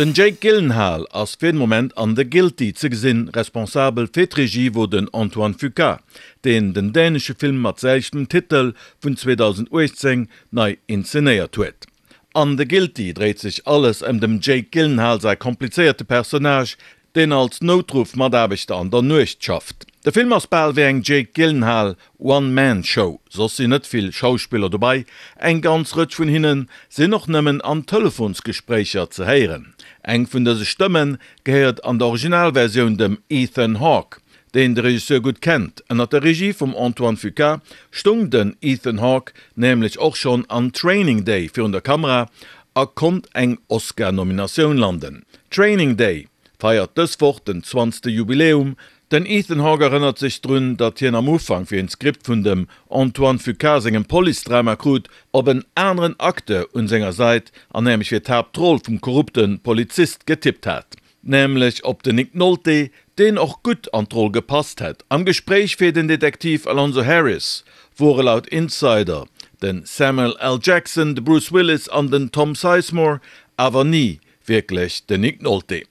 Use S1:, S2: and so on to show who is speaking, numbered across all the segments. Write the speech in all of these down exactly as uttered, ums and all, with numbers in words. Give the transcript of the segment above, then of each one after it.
S1: Den Jake Gyllenhaal ass fir den Moment an The Guilty ze gesinn, responsabel fir d'Regie wor den Antoine Fuqua, deen den dänesche Film mat selwechtem Titel vun zweedausenduechtzéng nei inszenéiert huet. An The Guilty dréit sech alles ëm dem Jake Gyllenhaal säi komplizéierte Personnage, deen als Noutruff-Mataarbechter an der Nuecht schafft. De Film ass bal wéi eng Jake Gyllenhaal One Man Show, soss sinn net vill Schauspiller dobei, eng ganz Rëtsch vun hinne sinn och nëmmen an Telefonsgespréicher ze héieren. Eng vun dëse Stëmme gehéiert an der Originalversioun dem Ethan Hawke, deen de Regisseur gutt kennt. Ënnert der Regie vum Antoine Fuqua stoung den Ethan Hawke nämlech och schonn an Training Day virun der Kamera a konnt eng Oscar-Nominatioun landen. Training Day feiert dës Woch den zwanzegste Jubiläum. Den Ethan Hawke erënnert sech drun, datt hien am Ufank, wéi en d'Skript vun dem Antoine Fuqua sengem Police-Drama krut, op en aneren Acteur un senger Säit, an nämlech fir d'Haaptroll vum korrupte Polizist getippt hat, nämlech op den Nick Nolte, deen och gutt an d'Roll gepasst hätt. Am Gespréich fir den Detektiv Alonzo Harris wore laut Insider den Samuel L. Jackson, de Bruce Willis an den Tom Sizemore, awer ni wierklech den Nick Nolte.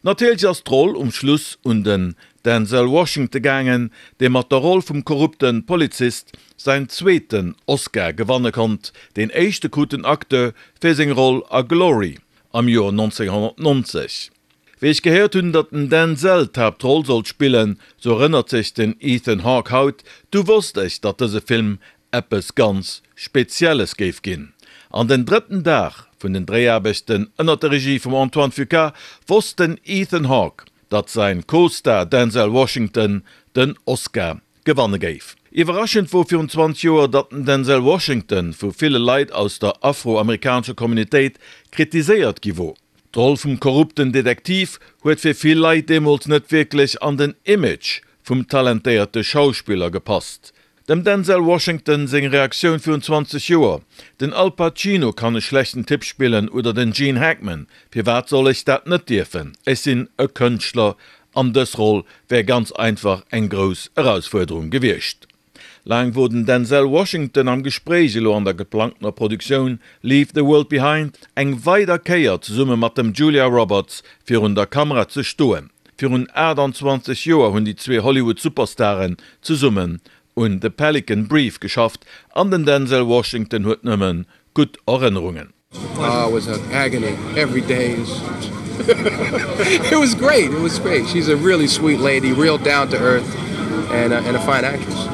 S1: Natierlech ass d'Roll um Schluss un den Denzel Washington gaangen, dee mat der Roll vum korrupte Polizist säin zweeten Oscar gewanne konnt. Deen éischte krut den Acteur fir seng Roll a Glory am Joer nonzénghonnertnonzeg. Wéi ech gehéiert hunn, datt den Denzel d'Haaptroll sollt spillen, sou erënnert sech den Ethan Hawke haut, du wosst ech, datt dëse Film eppes ganz Spezielles géif ginn. An den drëtten Dag vun den Dréiaarbechten ënnert der Regie vum Antoine Fuqua wosst den Ethan Hawke, datt säin Co-Star Denzel Washington den Oscar gewanne géif. Iwwerraschend wor virun zwanzeg Joer, datt den Denzel Washington vu ville Leit aus der afroamerikanescher Communitéit kritiséiert gi wor. D'Roll vum korrupten Detektiv huet fir vill Leit deemools net wierklech an den Image vum talentéierte Schauspiller gepasst. Dem Denzel Washington seng Reaktioun virun zwanzeg Joer, Den Al Pacino kann e schlechten Typ spillen oder den Gene Hackman, firwat soll ech dat net dierfen? Ech sinn e Kënschtler an dës Roll wär ganz einfach eng grouss Erausfuerderung gewiescht. Laang wor den Denzel Washington am Gespréich, elo an der geplangtener Produktioun Leave the World Behind eng weider Kéier zesumme mat dem Julia Roberts virun der Kamera ze stoen. Virun aachtanzwanzeg Joer hunn déi zwee Hollywood-Superstaren zesummen un The Pelican Brief geschafft an den Denzel Washington huet nëmme gutt Erënnerungen.
S2: Oh, it was an agony every day. It was great, it was great. She's a really sweet lady, real down to earth and a, and a fine actress.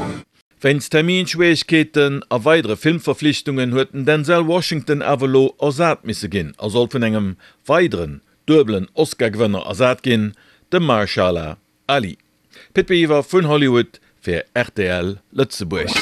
S1: Wéinst Terminschwieregkeeten a weidere Filmverflichtungen huet den Denzel Washington awer elo ersat misse ginn a soll vun engem weideren duebelen Oscar-Gewënner ersat ginn, dem Mahershala Ali. Pit Biwer vun Hollywood fir rtl Lëtzebuerg.